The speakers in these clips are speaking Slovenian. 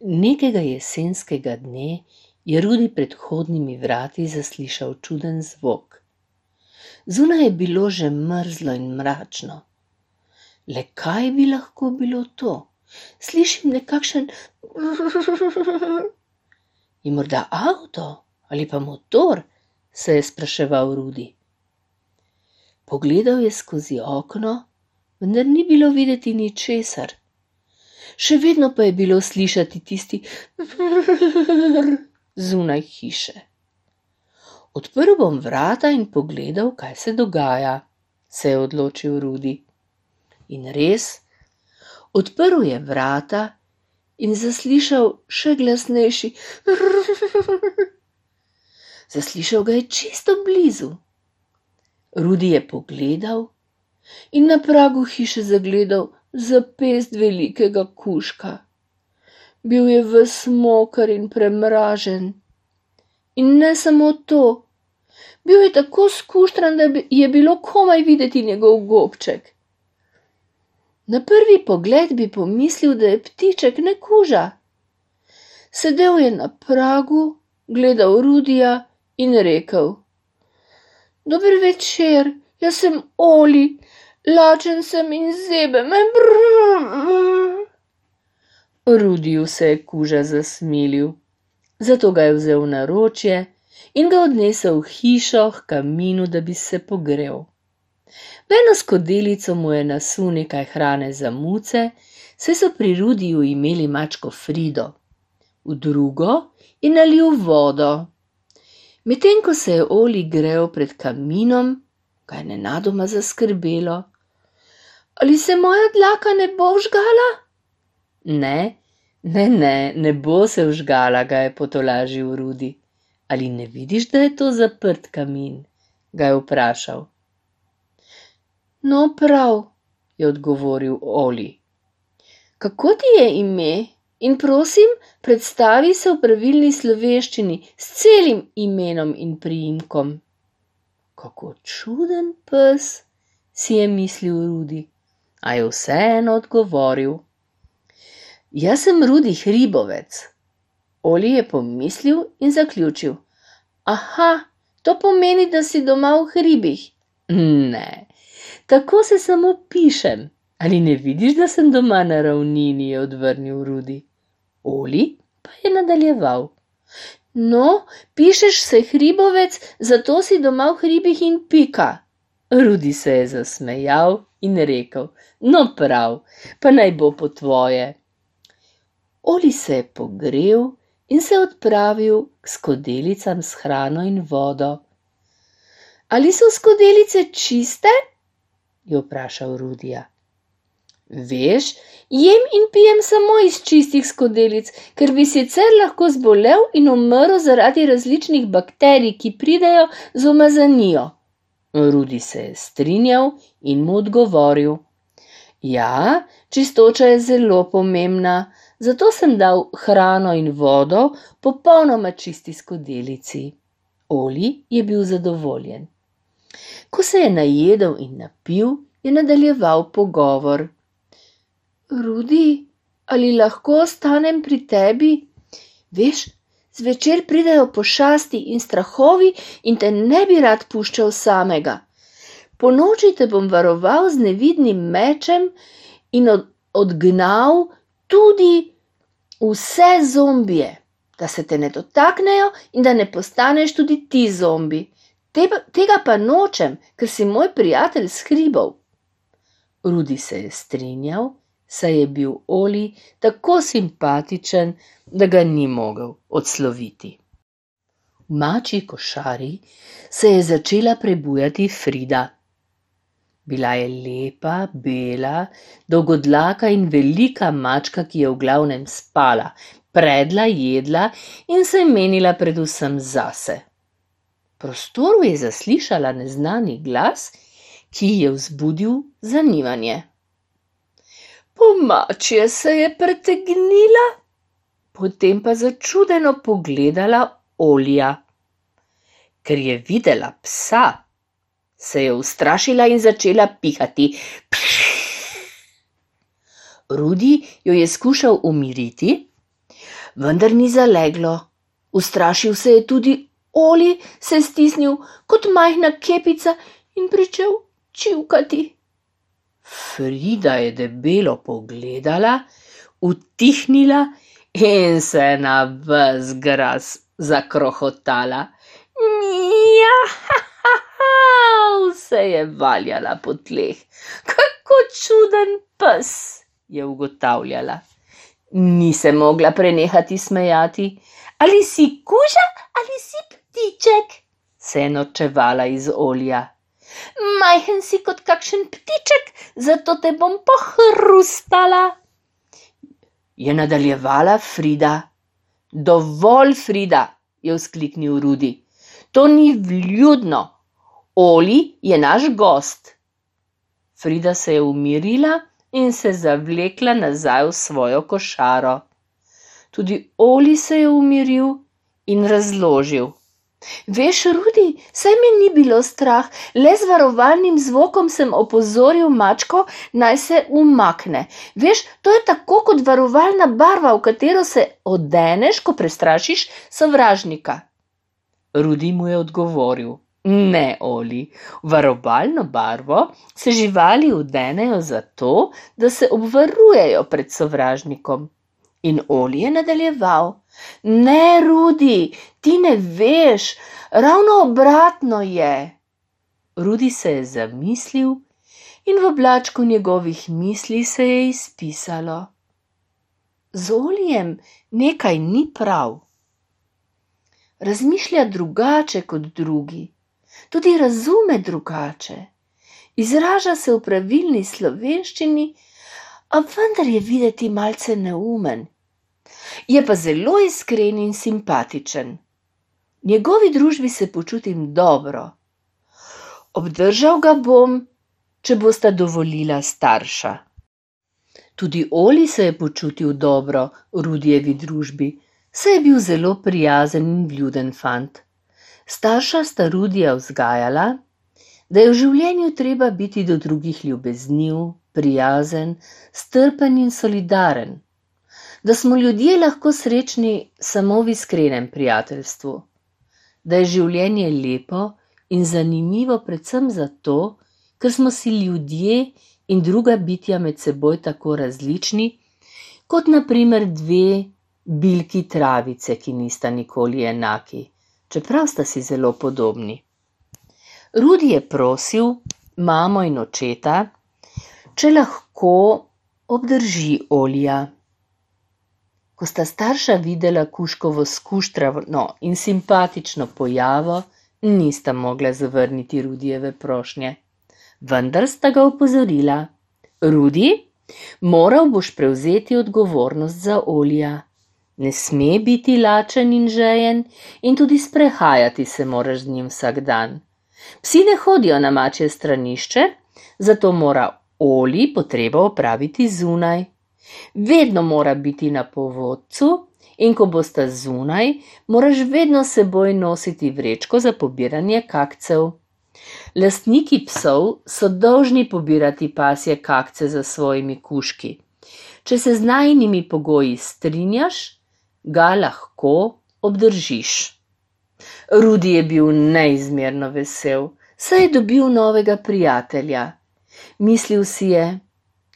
Nekega jesenskega dne je Rudi pred vhodnimi vrati zaslišal čuden zvok. Zunaj je bilo že mrzlo in mračno. Le kaj bi lahko bilo to? Slišim nekakšen Je morda avto ali pa motor, se je spraševal Rudi. Pogledal je skozi okno, vendar ni bilo videti ničesar. Še vedno pa je bilo slišati tisti zunaj hiše. Odprl bom vrata in pogledal, kaj se dogaja, se je odločil Rudi. In res, odprl je vrata in zaslišal še glasnejši. Zaslišal ga je čisto blizu. Rudi je pogledal in na pragu hiše zagledal zapest velikega kužka. Bil je ves moker in premražen. In ne samo to, bil je tako skuštran, da je bilo komaj videti njegov gobček. Na prvi pogled bi pomislil, da je ptiček, ne kuža. Sedel je na pragu, gledal Rudija in rekel: Dober večer, jaz sem Oli, lačen sem in zebe me. Rudiju se je kuža zasmilil, zato ga je vzel v naročje in ga odnesel v hišo k kaminu, da bi se pogrel. V eno skodelico mu je nasul nekaj hrane za muce, saj so pri Rudiju imeli mačko Frido. V drugo je nalil vodo. Medtem ko se je Oli grel pred kaminom, ga je nenadoma zaskrbelo. Ali se moja dlaka ne bo vžgala? Ne bo se vžgala, ga je potolažil Rudi. Ali ne vidiš, da je to zaprt kamin? Ga je vprašal. No, prav, je odgovoril Oli. Kako ti je ime? In prosim, predstavi se v pravilni slovenščini s celim imenom in priimkom. Kako čuden pes, si je mislil Rudi, a je vseeno odgovoril. Jaz sem Rudi Hribovec. Oli je pomislil in zaključil. Aha, to pomeni, da si doma v hribih. Ne, tako se samo pišem. Ali ne vidiš, da sem doma na ravnini, je odvrnil Rudi. Oli pa je nadaljeval. No, pišeš se Hribovec, zato si doma v hribih in pika. Rudi se je zasmejal in rekel, no prav, pa naj bo po tvoje. Oli se je pogrel in se odpravil k skodelicam s hrano in vodo. Ali so skodelice čiste? Je vprašal Rudija. Veš, jem in pijem samo iz čistih skodelic, ker bi sicer lahko zbolel in umrl zaradi različnih bakterij, ki pridejo z umazanijo. Rudi se je strinjal in mu odgovoril. Ja, čistoča je zelo pomembna, zato sem dal hrano in vodo popolnoma čisti skodelici. Oli je bil zadovoljen. Ko se je najedel in napil, je nadaljeval pogovor. Rudi, ali lahko ostanem pri tebi? Veš, zvečer pridejo pošasti in strahovi in te ne bi rad puščal samega. Ponoči te bom varoval z nevidnim mečem in odgnal tudi vse zombije, da se te ne dotaknejo in da ne postaneš tudi ti zombi. Tega pa nočem, ker si moj prijatelj s hribov. Rudi se je strinjal, saj je bil Oli tako simpatičen, da ga ni mogel odsloviti. V mačji košari se je začela prebujati Frida. Bila je lepa, bela, dolgodlaka in velika mačka, ki je v glavnem spala, predla, jedla in se menila predvsem zase. V prostoru je zaslišala neznani glas, ki je vzbudil zanimanje. Po mačje se je pretegnila, potem pa začudeno pogledala Olija. Ker je videla psa, se je ustrašila in začela pihati. Rudi jo je skušal umiriti, vendar ni zaleglo. Ustrašil se je tudi Oli, se stisnil kot majhna kepica in pričel čivkati. Frida je debelo pogledala, utihnila in se na ves glas zakrohotala. Mija, se je valjala po tleh. Kako čuden pes, je ugotavljala. Ni se mogla prenehati smejati. Ali si kuža ali si ptiček, se je norčevala iz Olija. Majhen si kot kakšen ptiček, zato te bom pohrustala, je nadaljevala Frida. Dovolj, Frida, je vzkliknil Rudi. To ni vljudno. Oli je naš gost. Frida se je umirila in se zavlekla nazaj v svojo košaro. Tudi Oli se je umiril in razložil. Veš, Rudi, saj me ni bilo strah, le z varovalnim zvokom sem opozoril mačko, naj se umakne. Veš, to je tako kot varovalna barva, v katero se odeneš, ko prestrašiš sovražnika. Rudi mu je odgovoril. Ne, Oli, varovalno barvo se živali odenejo zato, da se obvarujejo pred sovražnikom. In Oli je nadaljeval. Ne, Rudi, ti ne veš, ravno obratno je. Rudi se je zamislil in v oblačku njegovih misli se je izpisalo. Z Olijem nekaj ni prav. Razmišlja drugače kot drugi, tudi razume drugače. Izraža se v pravilni slovenščini, a vendar je videti malce neumen. Je pa zelo iskren in simpatičen. V njegovi družbi se počutim dobro. Obdržal ga bom, če bosta dovolila starša. Tudi Oli se je počutil dobro v Rudijevi družbi, saj je bil zelo prijazen in vljuden fant. Starša sta Rudija vzgajala, da je v življenju treba biti do drugih ljubezniv, prijazen, strpen in solidaren, da smo ljudje lahko srečni samo v iskrenem prijateljstvu, da je življenje lepo in zanimivo predvsem zato, ker smo si ljudje in druga bitja med seboj tako različni, kot na primer dve bilki travice, ki nista nikoli enaki, čeprav sta si zelo podobni. Rudi je prosil mamo in očeta, če lahko obdrži Olija. Ko sta starša videla kužkovo skuštrano in simpatično pojavo, nista mogla zavrniti Rudijeve prošnje. Vendar sta ga opozorila. Rudi, moral boš prevzeti odgovornost za Olija. Ne sme biti lačen in žejen in tudi sprehajati se moraš z njim vsak dan. Psi ne hodijo na mačje stranišče, zato mora Oli potrebo opraviti zunaj. Vedno mora biti na povodcu in ko bosta zunaj, moraš vedno s seboj nositi vrečko za pobiranje kakcev. Lastniki psov so dolžni pobirati pasje kakce za svojimi kužki. Če se z najinimi pogoji strinjaš, ga lahko obdržiš. Rudi je bil neizmerno vesel, saj je dobil novega prijatelja. Mislil si je,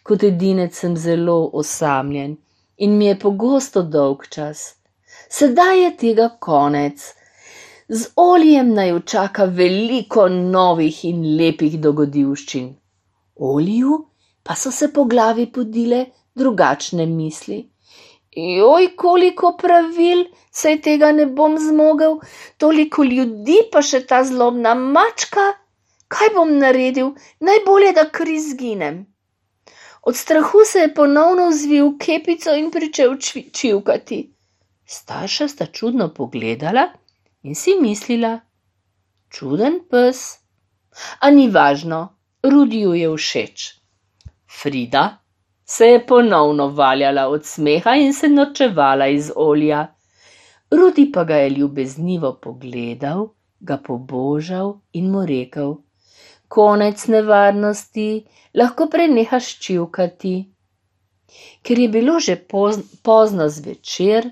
kot edinec sem zelo osamljen in mi je pogosto dolgčas. Sedaj je tega konec. Z Olijem naj čaka veliko novih in lepih dogodivščin. Oliju pa so se po glavi podile drugačne misli. Joj, koliko pravil, saj tega ne bom zmogel, toliko ljudi pa še ta zlobna mačka. Kaj bom naredil? Najbolje, da kar izginem. Od strahu se je ponovno vzvil kepico in pričel čivkati. Starša sta čudno pogledala in si mislila, čuden pes. A ni važno, Rudiju je všeč. Frida se je ponovno valjala od smeha in se norčevala iz Olija. Rudi pa ga je ljubeznivo pogledal, ga pobožal in mu rekel: konec nevarnosti, lahko prenehaš čivkati. Ker je bilo že pozno zvečer,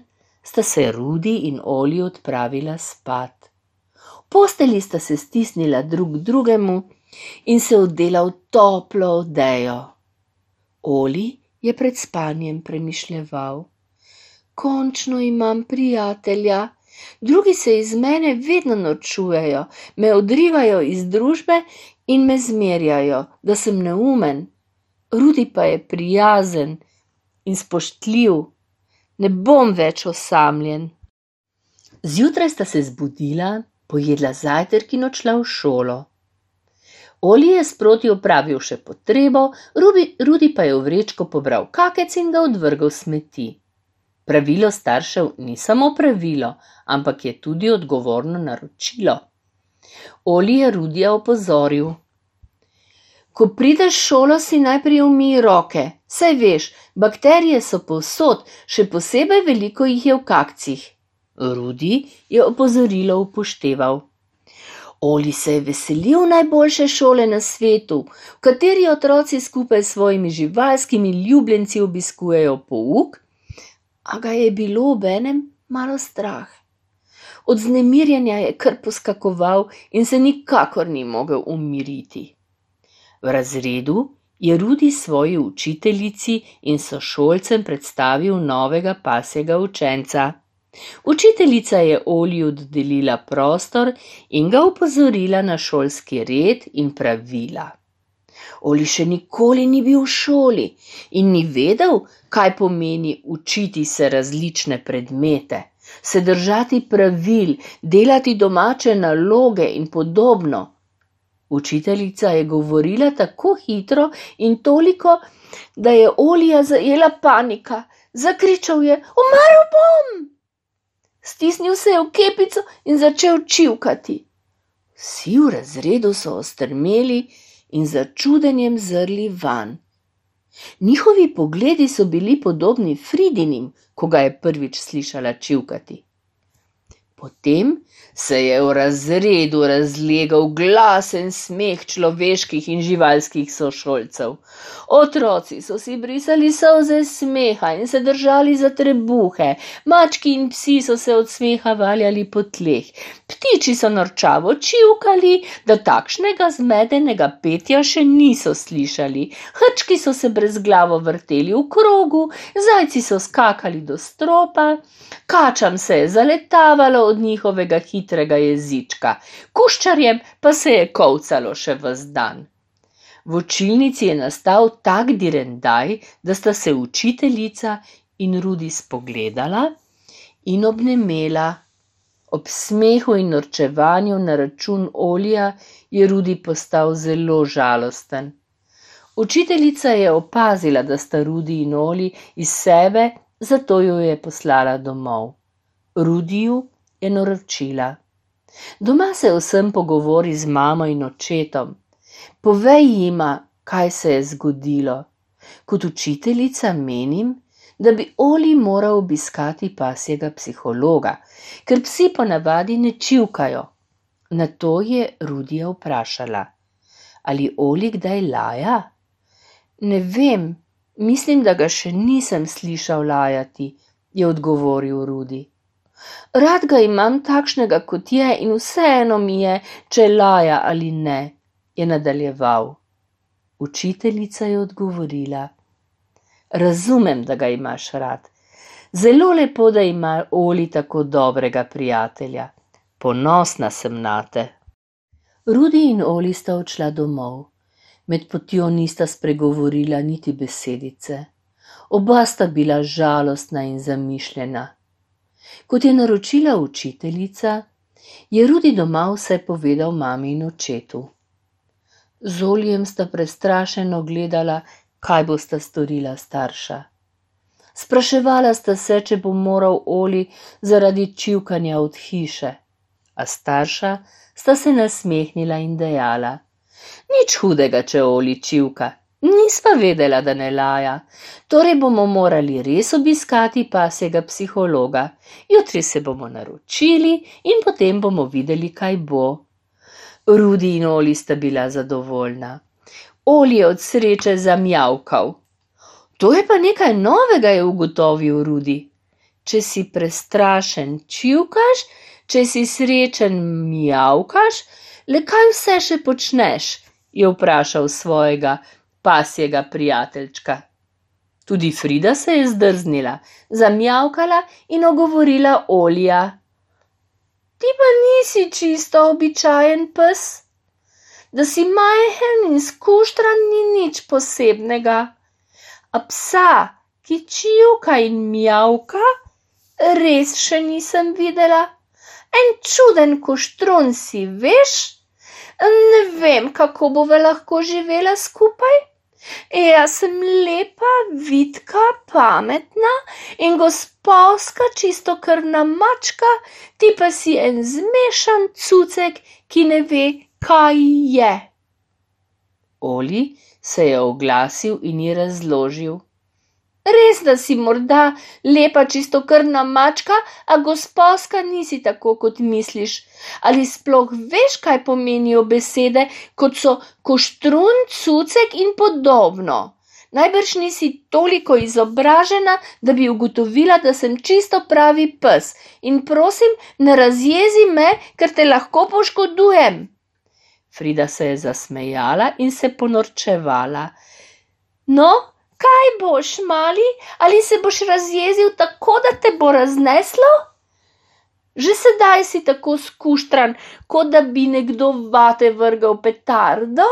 sta se Rudi in Oli odpravila spat. V postelji sta se stisnila drug drugemu in se odela v toplo odejo. Oli je pred spanjem premišljeval: končno imam prijatelja, drugi se iz mene vedno norčujejo, me odrivajo iz družbe in me zmerjajo, da sem neumen. Rudi pa je prijazen in spoštljiv, ne bom več osamljen. Zjutraj sta se zbudila, pojedla zajtrk in odšla v šolo. Oli je sproti opravil še potrebo, Rudi pa je v vrečko pobral kakec in ga odvrgel smeti. Pravilo staršev ni samo pravilo, ampak je tudi odgovorno naročilo. Oli je Rudija opozoril: ko prideš v šolo, si najprej umij roke, saj veš, bakterije so povsod, še posebej veliko jih je v kakcih. Rudi je opozorilo upošteval. Oli se je veselil najboljše šole na svetu, v kateri otroci skupaj s svojimi živalskimi ljubljenci obiskujejo pouk, a ga je bilo obenem malo strah. Od vznemirjenja je kar poskakoval in se nikakor ni mogel umiriti. V razredu je Rudi svoji učiteljici in sošolcem predstavil novega pasjega učenca. Učiteljica je Oliju dodelila prostor in ga opozorila na šolski red in pravila. Oli še nikoli ni bil v šoli in ni vedel, kaj pomeni učiti se različne predmete, se držati pravil, delati domače naloge in podobno. Učiteljica je govorila tako hitro in toliko, da je Olija zajela panika. Zakričal je: umrl bom! Stisnil se je v kepico in začel čivkati. Vsi v razredu so ostrmeli in z začudenjem zrli vanj. Njihovi pogledi so bili podobni Fridinim, ko ga je prvič slišala čivkati. Potem se je v razredu razlegal glasen smeh človeških in živalskih sošolcev. Otroci so si brisali solze smeha in se držali za trebuhe, mački in psi so se od smeha valjali po tleh, ptiči so norčavo čivkali, da takšnega zmedenega petja še niso slišali, hrčki so se brezglavo vrteli v krogu, zajci so skakali do stropa, kačam se je zaletavalo od njihovega hitrega jezička, kuščarjem pa se je kolcalo še ves dan. V učilnici je nastal tak direndaj, da sta se učiteljica in Rudi spogledala in obnemela. Ob smehu in norčevanju na račun Olija je Rudi postal zelo žalosten. Učiteljica je opazila, da sta Rudi in Oli iz sebe, zato jo je poslala domov. Rudiju je naročila: doma se vsem pogovori z mamo in očetom. Povej jima, kaj se je zgodilo. Kot učiteljica menim, da bi Oli moral obiskati pasjega psihologa, ker psi ponavadi ne čivkajo. Nato je Rudija vprašala: ali Oli kdaj laja? Ne vem, mislim, da ga še nisem slišal lajati, je odgovoril Rudi. Rad ga imam takšnega, kot je, in vseeno mi je, če laja ali ne, je nadaljeval. Učiteljica je odgovorila: razumem, da ga imaš rad. Zelo lepo, da ima Oli tako dobrega prijatelja. Ponosna sem nate. Rudi in Oli sta odšla domov. Med potjo nista spregovorila niti besedice. Oba sta bila žalostna in zamišljena. Kot je naročila učiteljica, je Rudi doma vse povedal mami in očetu. Z Olijem sta prestrašeno gledala, kaj bosta storila starša. Spraševala sta se, če bo moral Oli zaradi čivkanja od hiše, a starša sta se nasmehnila in dejala: nič hudega, če Oli čivka. Nisva vedela, da ne laja, torej bomo morali res obiskati pasjega psihologa. Jutri se bomo naročili in potem bomo videli, kaj bo. Rudi in Oli sta bila zadovoljna. Oli je od sreče zamjavkal. To je pa nekaj novega, je ugotovil Rudi. če si prestrašen, čivkaš, če si srečen, mijavkaš, le kaj vse še počneš, je vprašal svojega pasjega prijateljčka. Tudi Frida se je zdrznila, zamjavkala in ogovorila Olija. Ti pa nisi čisto običajen pes. Da si majhen in skuštran, ni nič posebnega. A psa, ki čivka in mijavka, res še nisem videla. En čuden koštrun si, veš? Ne vem, kako bova lahko živela skupaj. Jaz sem lepa, vitka, pametna in gospavska čistokrvna mačka, ti pa si en zmešan cucek, ki ne ve, kaj je. Oli se je oglasil in ji razložil. Res, da si morda lepa čistokrvna mačka, a gospavska nisi tako, kot misliš. Ali sploh veš, kaj pomenijo besede, kot so koštrun, cucek in podobno? Najbrž nisi toliko izobražena, da bi ugotovila, da sem čisto pravi pes. In prosim, ne razjezi me, ker te lahko poškodujem. Frida se je zasmejala in se ponorčevala. No, kaj boš, mali, ali se boš razjezil tako, da te bo razneslo? Že sedaj si tako skuštran, kot da bi nekdo vate vrgel petardo?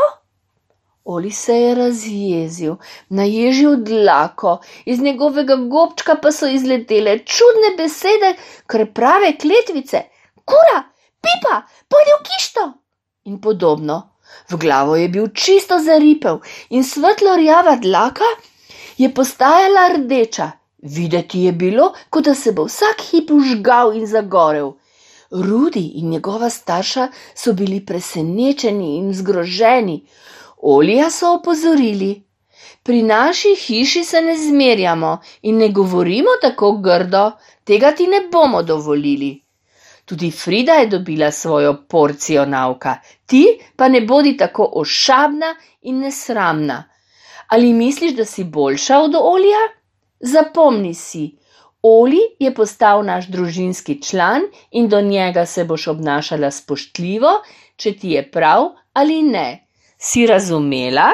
Oli se je razjezil, naježil dlako, iz njegovega gobčka pa so izletele čudne besede, krprave kletvice. Kura, pipa, pojdi v kišto! In podobno. V glavo je bil čisto zaripel in svetlo rjava dlaka je postajala rdeča. Videti je bilo, kot da se bo vsak hip vžgal in zagorel. Rudi in njegova starša so bili presenečeni in zgroženi. Olija so opozorili. Pri naši hiši se ne zmerjamo in ne govorimo tako grdo, tega ti ne bomo dovolili. Tudi Frida je dobila svojo porcijo nauka, ti pa ne bodi tako ošabna in nesramna. Ali misliš, da si boljša od Olija? Zapomni si, Oli je postal naš družinski član in do njega se boš obnašala spoštljivo, če ti je prav ali ne. Si razumela?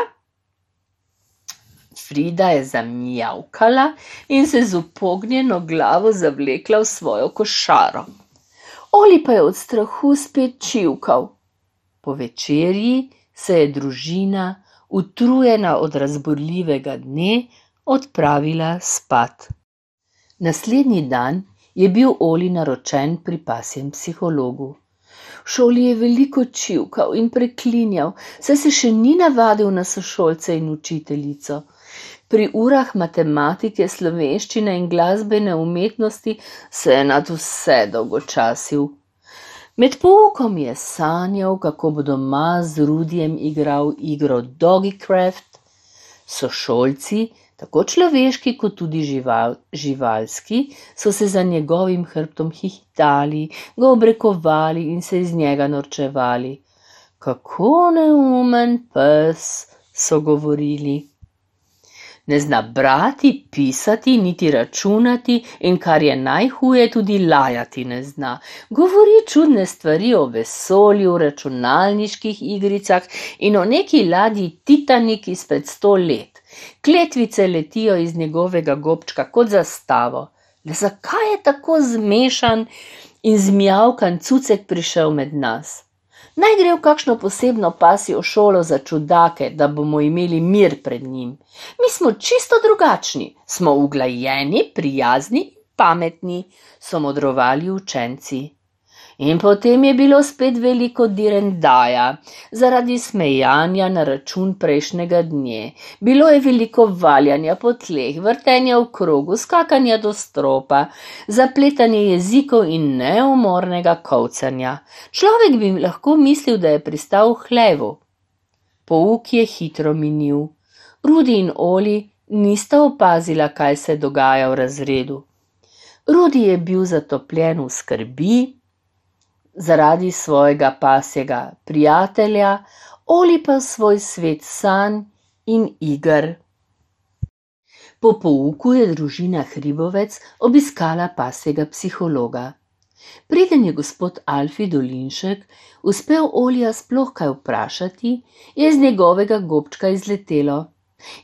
Frida je zamijavkala in se z upognjeno glavo zavlekla v svojo košaro. Oli pa je od strahu spet čivkal. Po večerji se je družina, utrujena od razburljivega dne, odpravila spat. Naslednji dan je bil Oli naročen pri pasjem psihologu. V šoli je veliko čivkal in preklinjal, saj se še ni navadil na sošolce in učiteljico. Pri urah matematike, slovenščine in glasbene umetnosti se je nad vse dolgočasil. Med poukom je sanjal, kako bo doma z Rudijem igral igro Doggycraft. Sošolci, tako človeški kot tudi živalski, so se za njegovim hrbtom hihitali, ga obrekovali in se iz njega norčevali. Kako neumen pes, so govorili. Ne zna brati, pisati, niti računati in kar je najhuje, tudi lajati ne zna. Govori čudne stvari o vesolju, računalniških igricah in o neki ladji Titanik izpred 100 let. Kletvice letijo iz njegovega gobčka kot zastavo. Le zakaj je tako zmešan in zmijavkan cucek prišel med nas? Naj gre v kakšno posebno pasjo šolo za čudake, da bomo imeli mir pred njim. Mi smo čisto drugačni, smo uglajeni, prijazni in pametni, so modrovali učenci. In potem je bilo spet veliko direndaja, zaradi smejanja na račun prejšnjega dne. Bilo je veliko valjanja po tleh, vrtenja v krogu, skakanja do stropa, zapletanje jezikov in neumornega kolcanja. Človek bi lahko mislil, da je pristal v hlevu. Pouk je hitro minil. Rudi in Oli nista opazila, kaj se dogaja v razredu. Rudi je bil zatopljen v skrbi, zaradi svojega pasjega prijatelja, Oli pa svoj svet sanj in iger. Po pouku je družina Hribovec obiskala pasjega psihologa. Preden je gospod Alfi Dolinšek uspel Olija sploh kaj vprašati, je iz njegovega gobčka izletelo: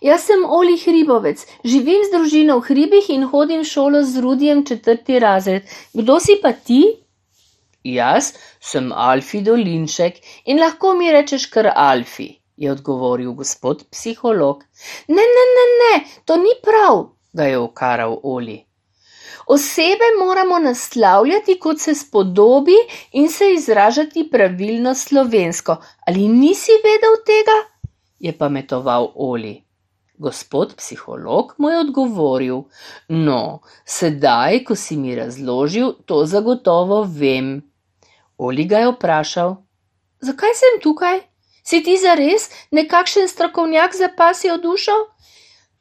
Jaz sem Oli Hribovec, živim z družino v Hribih in hodim v šolo z Rudijem 4. razred. Kdo si pa ti? Jaz sem Alfi Dolinšek in lahko mi rečeš kar Alfi, je odgovoril gospod psiholog. Ne, to ni prav, ga je ukaral Oli. Osebe moramo naslavljati, kot se spodobi, in se izražati pravilno slovensko. Ali nisi vedel tega? Je pametoval Oli. Gospod psiholog mu je odgovoril: No, sedaj, ko si mi razložil, to zagotovo vem. Oli ga je vprašal: Zakaj sem tukaj? Si ti zares nekakšen strokovnjak za pasjo dušo?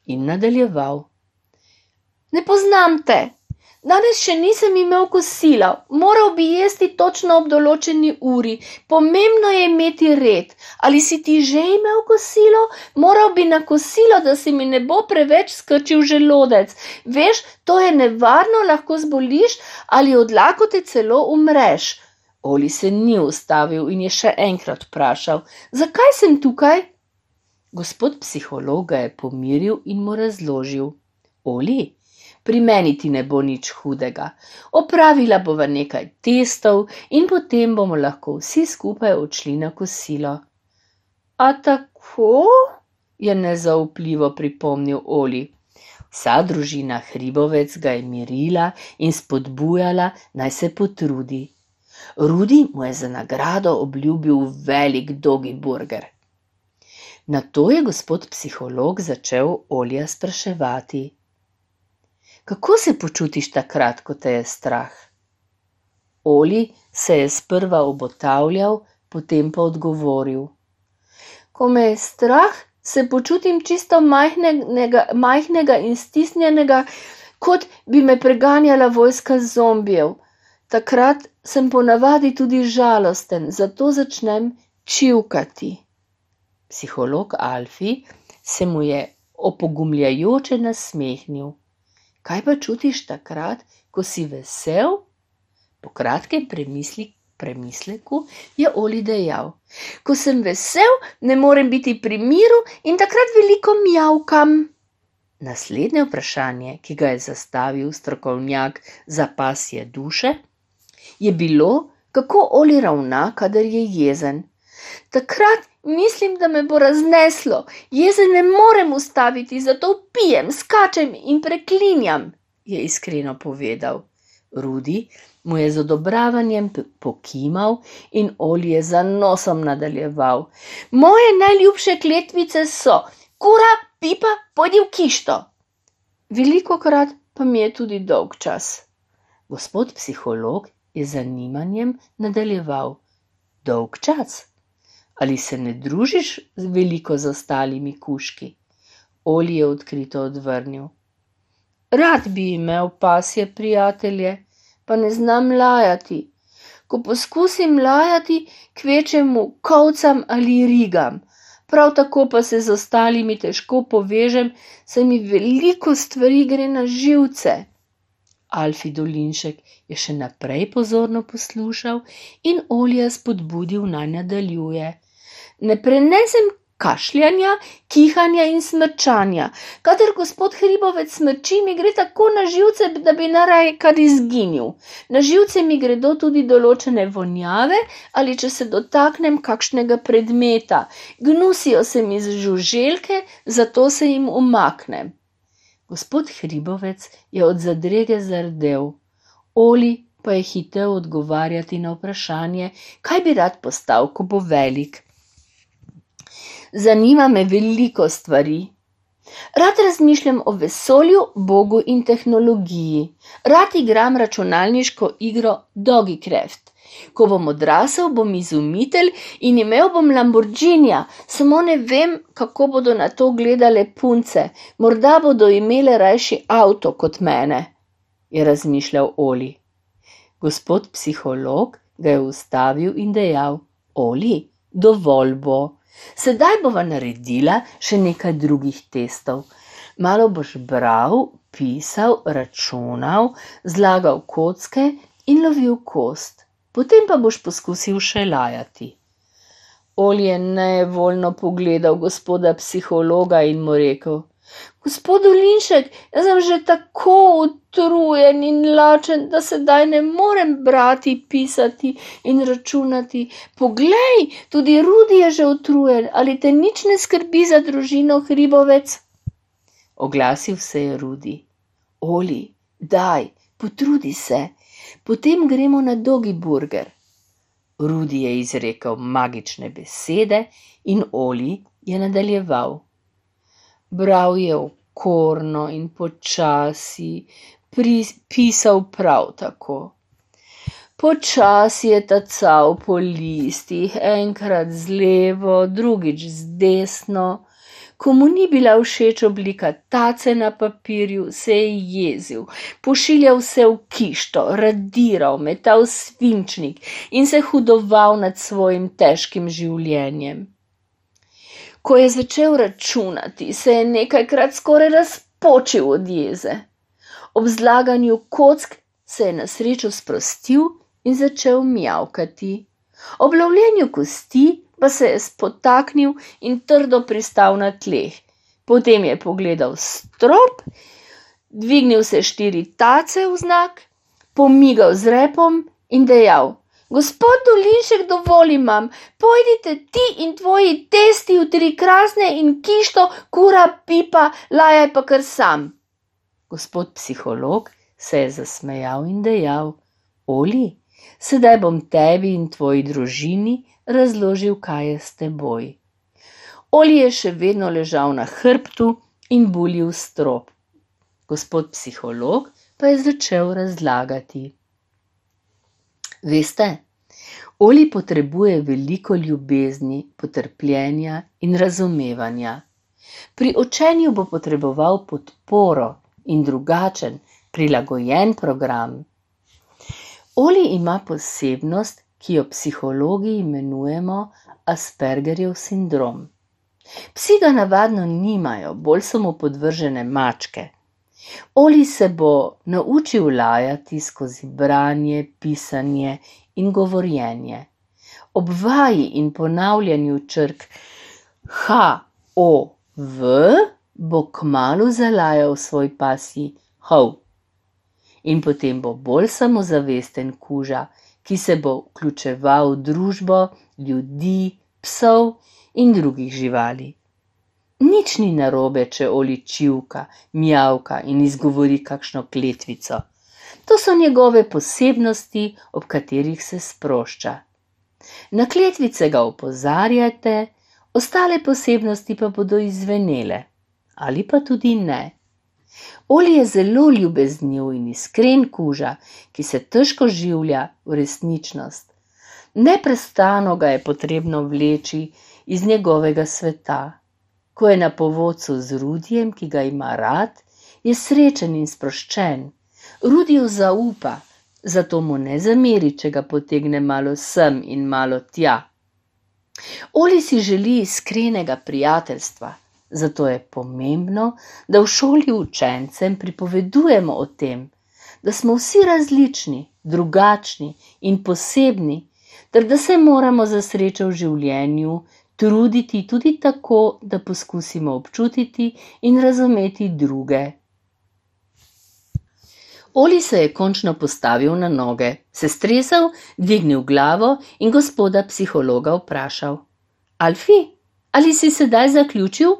In nadaljeval: Ne poznam te. Danes še nisem imel kosila, moral bi jesti točno ob določeni uri, pomembno je imeti red. Ali si ti že imel kosilo? Moral bi na kosilo, da si mi ne bo preveč skrčil želodec. Veš, to je nevarno, lahko zboliš ali od lakote celo umreš. Oli se ni ustavil in je še enkrat vprašal: Zakaj sem tukaj? Gospod psiholog ga je pomiril in mu razložil: Oli, pri meni ti ne bo nič hudega. Opravila bova nekaj testov in potem bomo lahko vsi skupaj odšli na kosilo. A tako? Je nezaupljivo pripomnil Oli. Vsa družina Hribovec ga je mirila in spodbujala, naj se potrudi. Rudi mu je za nagrado obljubil velik dogi burger. Nato je gospod psiholog začel Olija spraševati: Kako se počutiš takrat, ko te je strah? Oli se je sprva obotavljal, potem pa odgovoril: Ko me je strah, se počutim čisto majhnega in stisnjenega, kot bi me preganjala vojska zombijev. Takrat sem ponavadi tudi žalosten, zato začnem čivkati. Psiholog Alfi se mu je opogumljajoče nasmehnil. Kaj pa čutiš takrat, ko si vesel? Po kratkem premisleku je Oli dejal: Ko sem vesel, ne morem biti pri miru in takrat veliko mjavkam. Naslednje vprašanje, ki ga je zastavil strokovnjak za pasje duše, je bilo, kako Oli ravna, kadar je jezen. Takrat mislim, da me bo razneslo. Jezen ne morem ustaviti, zato pijem, skačem in preklinjam, je iskreno povedal. Rudi mu je z odobravanjem pokimal in Oli je za nosom nadaljeval: Moje najljubše kletvice so: Kura, pipa, pojdi v kišto. Velikokrat pa mi je tudi dolgčas. Gospod psiholog je z zanimanjem nadaljeval: Dolgčas? Ali se ne družiš veliko z ostalimi kužki? Oli je odkrito odvrnil: Rad bi imel pasje prijatelje, pa ne znam lajati. Ko poskusim lajati, kvečemu kolcam ali rigam. Prav tako pa se z ostalimi težko povežem, saj mi veliko stvari gre na živce. Alfi Dolinšek je še naprej pozorno poslušal in Olija spodbudil, naj nadaljuje: Ne prenesem kašljanja, kihanja in smrčanja. Kadar gospod Hribovec smrči, mi gre tako na živce, da bi naraj kar izginil. Na živce mi gredo tudi določene vonjave ali če se dotaknem kakšnega predmeta. Gnusijo se mi z žuželke, zato se jim umaknem. Gospod Hribovec je od zadrege zardel. Oli pa je hitel odgovarjati na vprašanje, kaj bi rad postal, ko bo velik. Zanima me veliko stvari. Rad razmišljam o vesolju, Bogu in tehnologiji. Rad igram računalniško igro Dogicraft. Ko bom odrasel, bom izumitelj in imel bom Lamborghinija, samo ne vem, kako bodo na to gledale punce. Morda bodo imele rajši avto kot mene, je razmišljal Oli. Gospod psiholog ga je ustavil in dejal: Oli, dovolj bo. Sedaj bova naredila še nekaj drugih testov. Malo boš bral, pisal, računal, zlagal kocke in lovil kost. Potem pa boš poskusil še lajati. Oli je nevoljno pogledal gospoda psihologa in mu rekel: Gospod Dolinšek, jaz sem že tako utrujen in lačen, da sedaj ne morem brati, pisati in računati. Poglej, tudi Rudi je že utrujen, ali te nič ne skrbi za družino, hribovec? Oglasil se je Rudi. Oli, daj, potrudi se, potem gremo na Dogi burger. Rudi je izrekel magične besede in Oli je nadaljeval. Bral je okorno in počasi, pisal prav tako. Počasi je tacal po listih, enkrat z levo, drugič z desno. Ko mu ni bila všeč oblika tace na papirju, se je jezil, pošiljal se v kišto, radiral, metal svinčnik in se hudoval nad svojim težkim življenjem. Ko je začel računati, se je nekajkrat skoraj razpočil od jeze. Ob zlaganju kock se je na srečo sprostil in začel mjavkati. Ob lovljenju kosti pa se je spotaknil in trdo pristal na tleh. Potem je pogledal strop, dvignil se 4 tace v znak, pomigal z repom in dejal: Gospod Dolinšek, dovolj imam, pojdite ti in tvoji testi v 3 krasne in kišto, kura, pipa, lajaj pa kar sam. Gospod psiholog se je zasmejal in dejal: Oli, sedaj bom tebi in tvoji družini razložil, kaj je s teboj. Oli je še vedno ležal na hrbtu in bulil strop. Gospod psiholog pa je začel razlagati. Veste, Oli potrebuje veliko ljubezni, potrpljenja in razumevanja. Pri učenju bo potreboval podporo in drugačen, prilagojen program. Oli ima posebnost, ki jo psihologi imenujemo Aspergerjev sindrom. Psi ga navadno nimajo, bolj so mu podvržene mačke. Oli se bo naučil lajati skozi branje, pisanje in govorjenje. Ob vaji in ponavljanju črk H, O, V bo kmalu zalajal svoj pasji hov. In potem bo bolj samozavesten kuža, ki se bo vključeval v družbo ljudi, psov in drugih živali. Nič ni narobe, če Oli čivka, mjavka in izgovori kakšno kletvico. To so njegove posebnosti, ob katerih se sprošča. Na kletvice ga opozarjate, ostale posebnosti pa bodo izzvenele, ali pa tudi ne. Oli je zelo ljubezniv in iskren kuža, ki se težko življa v resničnost. Neprestano ga je potrebno vleči iz njegovega sveta. Ko je na povodcu z Rudijem, ki ga ima rad, je srečen in sproščen. Rudiju zaupa, zato mu ne zameri, če ga potegne malo sem in malo tja. Oli si želi iskrenega prijateljstva, zato je pomembno, da v šoli učencem pripovedujemo o tem, da smo vsi različni, drugačni in posebni, ter da se moramo za srečo v življenju truditi tudi tako, da poskusimo občutiti in razumeti druge. Oli se je končno postavil na noge, se stresel, dvignil glavo in gospoda psihologa vprašal: Alfi, ali si sedaj zaključil?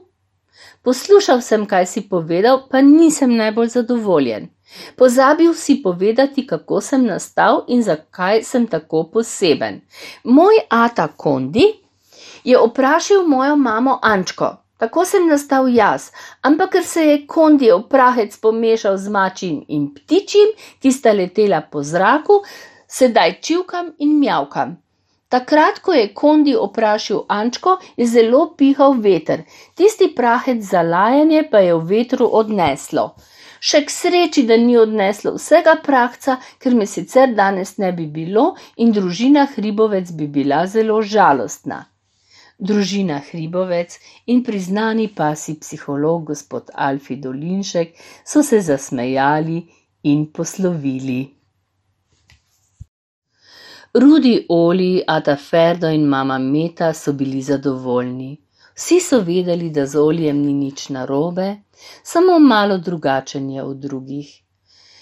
Poslušal sem, kaj si povedal, pa nisem najbolj zadovoljen. Pozabil si povedati, kako sem nastal in zakaj sem tako poseben. Moj ata Kondi je oprašil mojo mamo Ančko, tako sem nastal jaz, ampak ker se je Kondijev prahec pomešal z mačjim in ptičjim, ki sta letela po zraku, sedaj čivkam in mjavkam. Takrat, ko je Kondi oprašil Ančko, je zelo pihal veter, tisti prahec za lajanje pa je v vetru odneslo. Še k sreči, da ni odneslo vsega prahca, ker me sicer danes ne bi bilo in družina Hribovec bi bila zelo žalostna. Družina Hribovec in priznani pasji psiholog gospod Alfi Dolinšek so se zasmejali in poslovili. Rudi, Oli, ata Ferdo in mama Meta so bili zadovoljni. Vsi so vedeli, da z Olijem ni nič narobe, samo malo drugačen je od drugih.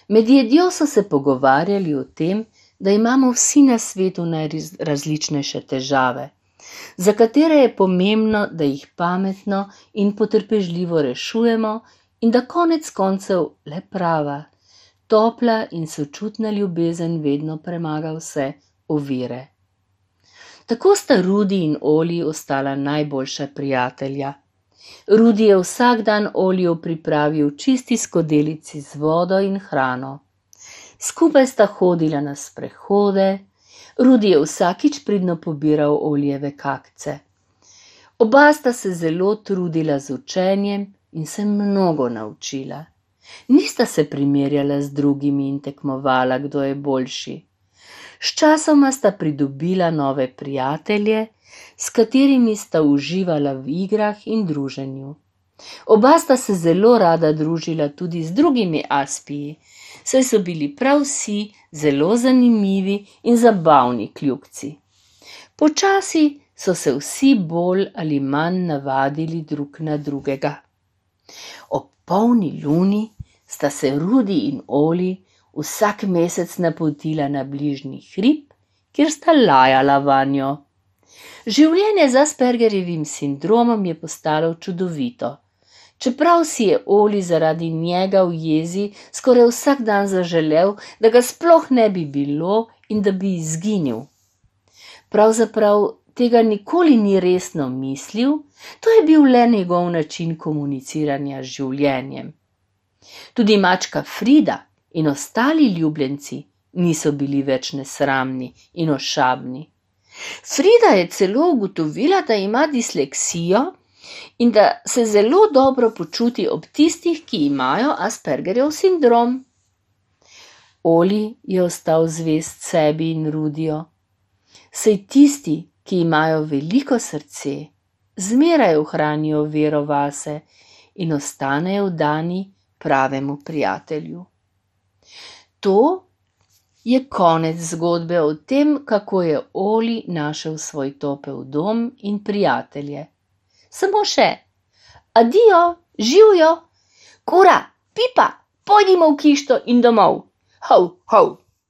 Med jedjo so se pogovarjali o tem, da imamo vsi na svetu najrazličnejše težave, za katere je pomembno, da jih pametno in potrpežljivo rešujemo in da konec koncev le prava, topla in sočutna ljubezen vedno premaga vse ovire. Tako sta Rudi in Oli ostala najboljša prijatelja. Rudi je vsak dan Oliju pripravil čisti skodelici z vodo in hrano. Skupaj sta hodila na sprehode, Rudi je vsakič pridno pobiral Olijeve kakce. Oba sta se zelo trudila z učenjem in se mnogo naučila. Nista se primerjala z drugimi in tekmovala, kdo je boljši. Sčasoma sta pridobila nove prijatelje, s katerimi sta uživala v igrah in druženju. Oba sta se zelo rada družila tudi z drugimi Aspiji, saj so bili prav vsi zelo zanimivi in zabavni kljukci. Počasi so se vsi bolj ali manj navadili drug na drugega. Ob polni luni sta se Rudi in Oli vsak mesec napotila na bližnji hrib, kjer sta lajala vanjo. Življenje z Aspergerjevim sindromom je postalo čudovito. Čeprav si je Oli zaradi njega v jezi skoraj vsak dan zaželel, da ga sploh ne bi bilo in da bi izginil. Pravzaprav tega nikoli ni resno mislil, to je bil le njegov način komuniciranja z življenjem. Tudi mačka Frida in ostali ljubljenci niso bili več nesramni in ošabni. Frida je celo ugotovila, da ima disleksijo in da se zelo dobro počuti ob tistih, ki imajo Aspergerjev sindrom. Oli je ostal zvest sebi in Rudiju. Saj tisti, ki imajo veliko srce, zmeraj ohranijo vero vase in ostanejo vdani pravemu prijatelju. To je konec zgodbe o tem, kako je Oli našel svoj topel dom in prijatelje. Samo še, adijo, živjo, kura, pipa, pojdimo v kišto in domov, hov, hov.